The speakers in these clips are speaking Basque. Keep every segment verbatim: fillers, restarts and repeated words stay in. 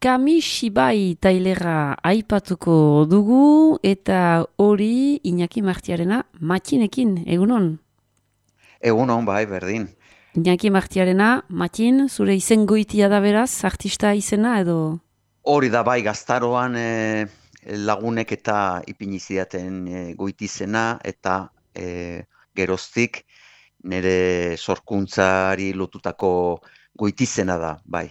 Kamishibai tailera aipatuko dugu eta hori Iñaki Martiarena Matxinekin, egunon? Egunon, bai, berdin. Iñaki Martiarena, Matxin, zure izen goitia da beraz, artista izena edo? Hori da, bai, gaztaroan eh, lagunek eta ipini zidaten eh, goitizena eta eh, geroztik nire sorkuntzari lotutako goitizena da, bai.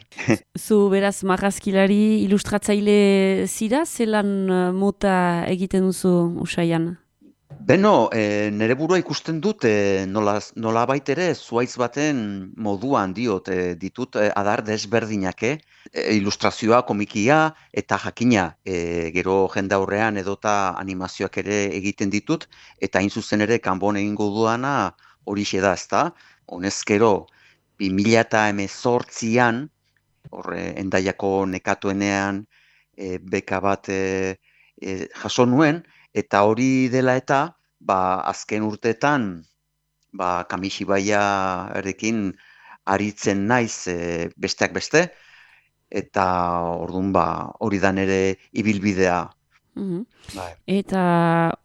Zu beraz marrazkilari ilustratzaile zira, zelan eh, mota egiten duzu usaian? Beno, e, nire burua ikusten dut, e, nola, nola baitere, zuaitz baten moduan diot, e, ditut e, adar desberdinak, eh? E, ilustrazioa, komikia, eta jakina, e, gero jendaurrean edota animazioak ere egiten ditut, eta hain zuzen ere kanbon egingo duana horixe da, ezta? Honezkero, bi mila eta hemezortzian, horre, endaiako nekatuenean, e, beka bat e, e, jaso nuen, eta hori dela eta, ba, azken urteetan, ba, Kamishibaiarekin aritzen naiz e, besteak beste, eta orduan ba, hori da nere ibilbidea. Mhm. Bai. Eta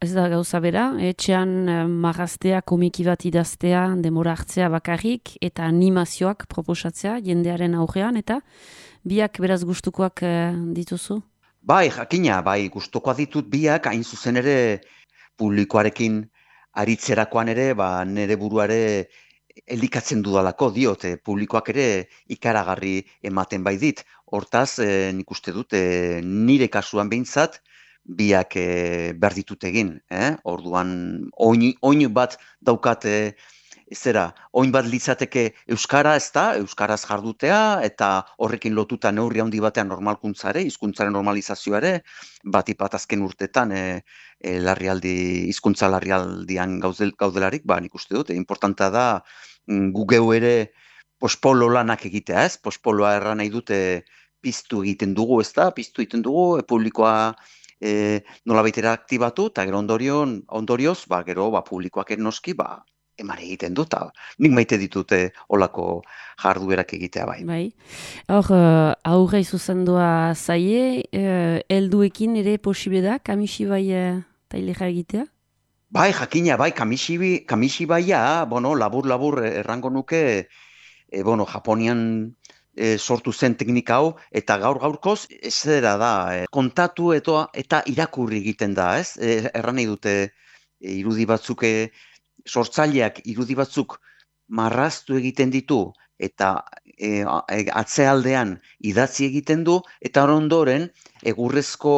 ez da gauza bera, etxean eh, marraztea, komiki bat idaztea, demora hartzea bakarrik, eta animazioak proposatzea jendearen aurrean, eta biak beraz gustukoak eh, dituzu? Bai, jakina, bai, gustukoa ditut biak, hain zuzen ere publikoarekin aritzerakoan ere, ba, nere buruare elikatzen dudalako diote, publikoak ere ikaragarri ematen bai dit. Hortaz, e, nik uste dut, e, nire kasuan behintzat, biak e, behar ditut egin. Eh? Orduan, oin, oin bat daukate, zera, oin bat litzateke euskara, ez da, euskaraz jardutea, eta horrekin lotuta neurri handi batean normalkuntzare, hizkuntzaren normalizazioare, bat ipat azken urtetan, e, e, larrialdi, hizkuntza larrialdian gauzel, gaudelarik, ba, nik uste dut, e, importanta da, mm, gu geu ere pospolo lanak egitea, ez? Pospoloa erran nahi dute piztu egiten dugu, ez da? Piztu egiten dugu, e, publikoa e, nolabaitera aktibatu, eta gero ondorion, ondorioz, ba, gero, ba, publikoak noski, ba, eman egiten dut, eta nik maite ditute olako jarduerak egitea bai. Bai. Hor, uh, aurrei zuzendua zaie, uh, helduekin ere posible da, Kamishibai uh, tailera egitea? Bai, jakina, bai, kamishibi, kamishibaia, bueno, labur-labur errango nuke, e, bueno, Japonian e, sortu zen teknika hau, eta gaur-gaurkoz, ez zera da, e, kontatu eta, eta irakurri egiten da, ez? E, erran nahi dute, e, irudi batzuk, e, sortzaileak irudi batzuk marraztu egiten ditu, eta e, a- e, atzealdean idatzi egiten du, eta ondoren, egurrezko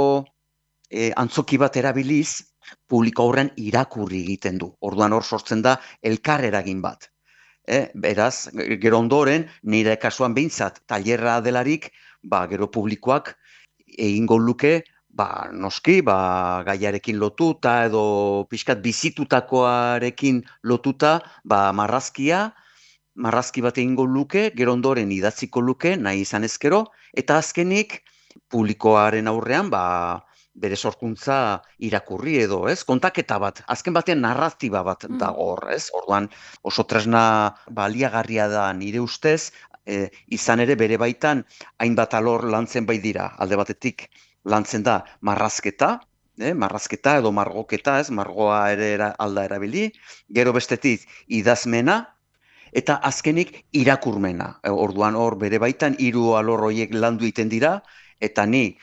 e, antzoki bat erabiliz, publiko aurrean irakurri egiten du. Orduan hor sortzen da elkar eragin bat. E, beraz, gero ondoren, nire kasuan behintzat, tailerra delarik, ba, gero publikoak egingo luke, ba, noski, ba, gaiarekin lotuta edo pixkat bizitutakoarekin lotuta, ba, marrazkia, marrazki bat egingo luke, gero ondoren idatziko luke, nahi izan ezkero, eta azkenik publikoaren aurrean, ba, bere sorkuntza irakurri edo, ez? Kontaketa bat, azken batean narratiba bat Mm. dago hor, ez? Orduan oso tresna baliagarria da nire ustez, e, izan ere bere baitan hainbat alor lantzen bai dira. Alde batetik lantzen da marrazketa, eh? Marrazketa edo margoketa, ez? Margoa ere era, alda erabili, gero bestetik idazmena, eta azkenik irakurmena. E, Orduan hor bere baitan hiru alor horiek landu egiten dira, eta ni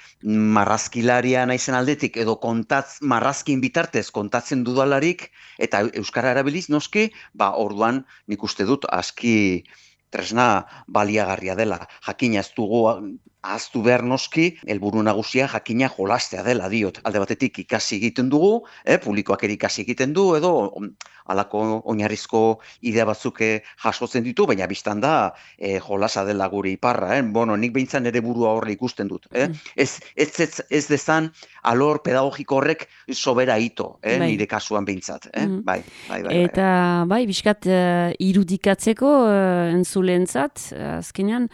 marrazkilaria naizen aldetik edo kontatz, marrazkin bitartez kontatzen dudalarik, eta euskara erabiliz noski, ba orduan nik uste dut aski tresna baliagarria dela. Jakina ez dugu ahaztu behar noski, helburu nagusia jakina jolastea dela diot. Alde batetik ikasi egiten dugu, eh, publikoak ere ikasi egiten du, edo mm, halako oinarrizko idea batzuk eh, jasotzen ditu, baina biztan da eh, jolasa dela gure iparra. Eh? Bueno, nik behintzan ere burua horre ikusten dut. Eh? Mm. Ez, ez, ez, ez dezan alor pedagogiko horrek sobera ito, eh? Bai. Nire kasuan behintzat. Eh? Mhm. Bai, bai, bai, bai. Eta bai, biskat uh, irudikatzeko uh, entzuleentzat, uh, azkenean,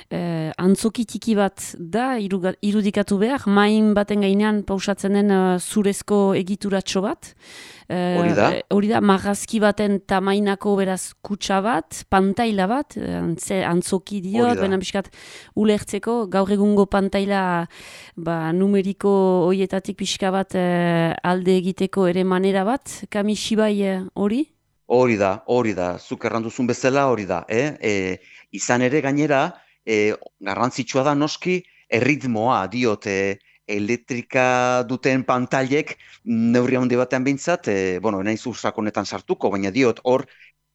eh, antzoki tiki bat da iruga- irudikatu behar, main baten gainean pausatzen den eh, zurezko egituratxo bat. Hori da, Eh, hori da, marrazki baten tamainako beraz kutsa bat, pantaila bat, eh, antze, antzoki hori diot, da. benen pixkat ulertzeko, gaur egungo pantaila ba, numeriko hoietatik pixka bat eh, alde egiteko ere manera bat, Kamishibai eh, hori? Hori da, hori da, zuk erranduzun bezala hori da. Eh? E, izan ere gainera, e, garrantzitsua da noski, erritmoa diot e, elektrika duten pantailek neurri handi batean behintzat, e, bueno, naiz sakonetan sartuko, baina diot hor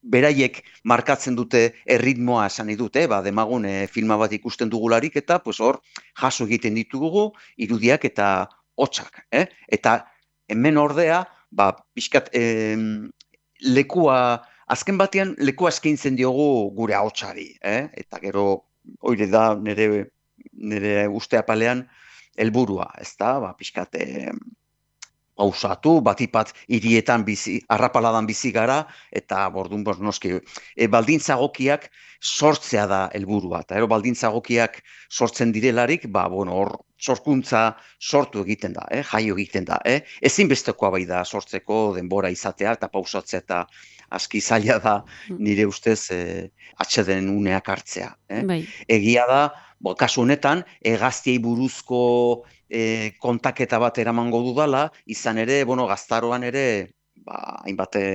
beraiek markatzen dute erritmoa esan nahi dute, ba, demagun e, filma bat ikusten dugularik eta pues hor jaso egiten ditugu irudiak eta hotsak. Eh? Eta hemen ordea, ba, pixkat, em, lekua, azken batean lekua eskaintzen diogu gure ahotsari, eh? Eta gero hori da nire, nire uste apalean helburua, ezta? Ba, pixkat eh, pausatu, batipat hirietan bizi, arrapaladan bizi gara, eta bordun bos, noski, e, baldintzagokiak sortzea da helburua. Eta ero baldintzagokiak sortzen direlarik, ba, bueno, hor sorkuntza sortu egiten da, eh? Jaio egiten da. Eh? Ezinbestekoa bai da sortzeko denbora izatea eta pausatzea eta aski zaila da Mm, nire ustez eh, atxeden uneak hartzea. Eh? bai. Egia da, bo, kasu honetan, hegaztiei buruzko e, kontaketa bat eramango dudala, izan ere, bueno, gaztaroan ere, ba, hainbat e,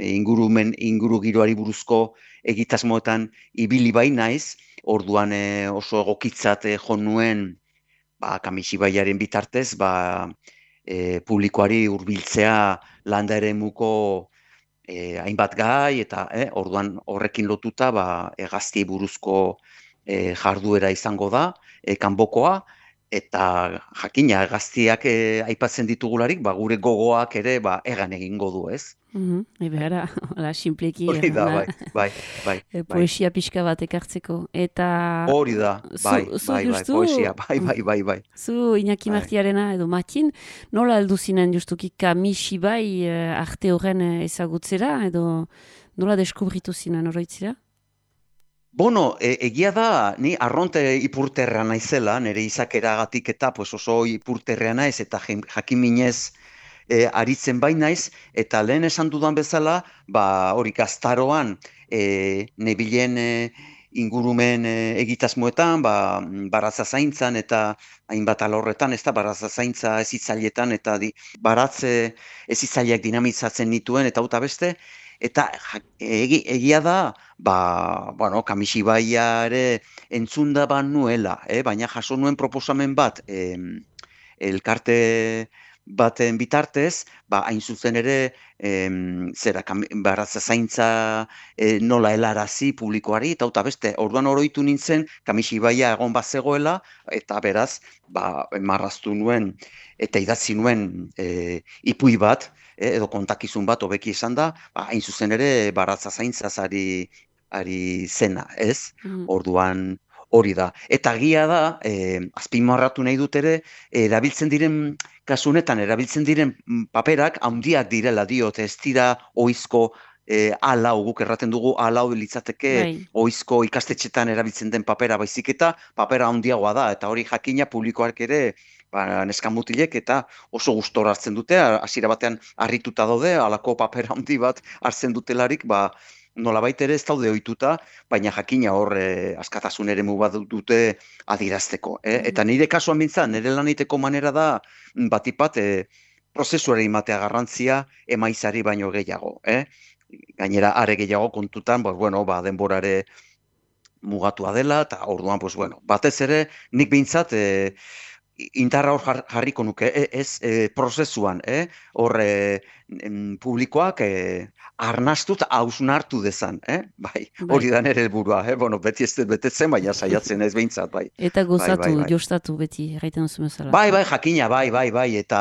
ingurumen, inguru giroari buruzko egitasmoetan ibili bai naiz, orduan e, oso egokitzat e, jo nuen, ba, Kamishibaiaren bitartez, ba, e, publikoari hurbiltzea landa eremuko e, hainbat gai, eta e, orduan horrekin lotuta, ba, hegaztiei buruzko e, jarduera izango da, e, kanbokoa, eta jakina gaztiak eh, aipatzen ditugularik, ba, gure gogoak ere ba, egan egingo du, ez? Mhm, ebe ara, hola, simpleki, Hori da, ona, bai, bai, bai, eh, bai. poesia pixka bat ekartzeko. Eta Hori da, zu, bai, zu bai, bai, justu, poesia, bai, bai, bai, bai. zu Iñaki Bai. Martiarena edo Matin, nola heldu zinen justuki Kamishibai eh, arte horren eh, ezagutzera, edo nola deskubritu zinen oroitzira? Bueno, e, egia da, ni arronte ipurterra naizela, nire izakeragatik eta pues oso ipurterrea naiz, eta jen- jakinminez e, aritzen bai naiz, eta lehen esan dudan bezala, ba, hori gaztaroan, e, nebilen e, ingurumen e, egitasmoetan, ba, baratza zaintzan eta hainbat alorretan, ez da, baratza zaintza ezitzailetan, eta di, baratze ezitzaileak dinamizatzen nituen, eta uta beste, eta ja- egi, egia da, ba, bueno, Kamishibaia ere entzunda ban nuela, eh? Baina jaso nuen proposamen bat, em, elkarte baten bitartez, ba, hain zuzen ere, em, zera, kam- baratza zaintza eh, nola helarazi publikoari, eta uta beste, orduan oroitu nintzen, Kamishibaia egon bat zegoela, eta beraz, ba, marraztu nuen, eta idatzi nuen eh, ipuin bat, eh, edo kontakizun bat, hobeki esan da, ba, hain zuzen ere, baratza zaintzaz ari ari zena, ez? Mhm. Orduan hori da. Eta gia da, eh, azpimarratu nahi dut ere, erabiltzen diren, kasu honetan, erabiltzen diren mm, paperak handiak direla diot, ez dira ohizko eh, alau, guk erraten dugu alau litzateke Bai. ohizko ikastetxetan erabiltzen den papera baizik eta papera handiagoa da, eta hori jakina publikoak ere ba, neskamutilek eta oso gustora hartzen dute, hasiera batean harrituta daude, halako papera handi bat hartzen dutelarik, ba, nolabait ere ez daude ohituta, baina jakina hor eh, askatasun eremu bat dute adierazteko. Eh? Mhm. Eta nire kasuan bintzat, nire lan egiteko manera da, mm, batipat, eh, prozesuare imatea garrantzia emaizari baino gehiago. Eh? Gainera, are gehiago kontutan, pues, bueno, ba, denborare mugatua dela, eta orduan, pues, bueno, batez ere, nik bintzat, eh, indarra hor jar- jarriko nuke, e- ez e, prozesuan, eh? Hor e, em, publikoak e, arnastu eta hausnartu dezan, eh? Bai, Bai. hori da nire helburua, eh? Bueno, beti ez dut betetzen, baina saiatzen ez behintzat, bai. Eta Bai, bai, gozatu, bai. jostatu beti, erraiten duzu bezala. Bai, bai, jakina, bai, bai, bai, eta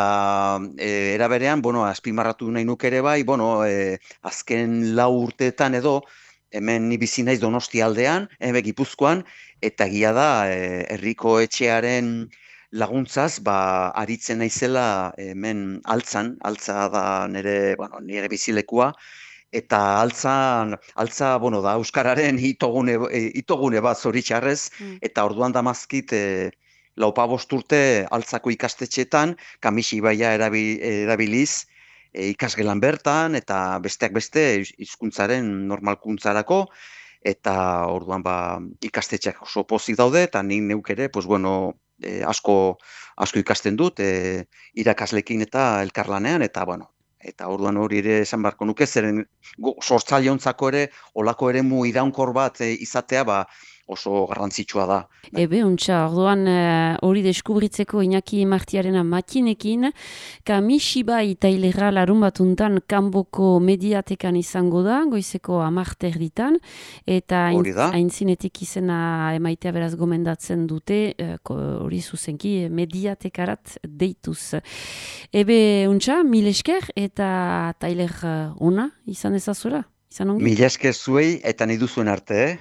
e, era berean, bueno, azpimarratu nahi nuke ere bai, bueno, e, azken lau urteetan edo, hemen ni bizi naiz Donostia aldean, hemen Gipuzkoan, eta egia da, e, herriko etxearen laguntzaz, ba, aritzen naizela hemen altzan, altza da nire, bueno, nire bizilekua, eta altzan, altza, bueno, da, Euskararen itogune, e, itogune bat zoritxarrez, Mm. eta orduan damazkit, e, laupa bost urte altzako ikastetxetan, Kamixi Ibaia erabi, erabiliz, e, ikasgelan bertan, eta besteak beste hizkuntzaren normalkuntzarako, eta orduan ba, ikastetxeak oso pozik daude, eta nik neuk ere, pues bueno, e, asko, asko ikasten dut, e, irakaslekin eta elkarlanean, eta bueno, eta orduan hori ere esan beharko nuke, zeren sortzaileontzako ere, olako eremu iraunkor bat e, izatea, ba, oso garrantzitsua da. Ebe, untxa, orduan eh, hori deskubritzeko Iñaki Martiarena makinekin, Kamishibai tailera larun batuntan kanboko mediatekan izango da, goizeko amarter ditan, eta Hori da. aintzinetik izena emaitea beraz gomendatzen dute, eh, ko- hori zuzenki eh, mediatekarat deituz. Ebe, untxa, mil esker eta tailer eh, ona izan ezazuela, izan ongi? Mila esker zuei, eta nahi duzuen arte, eh?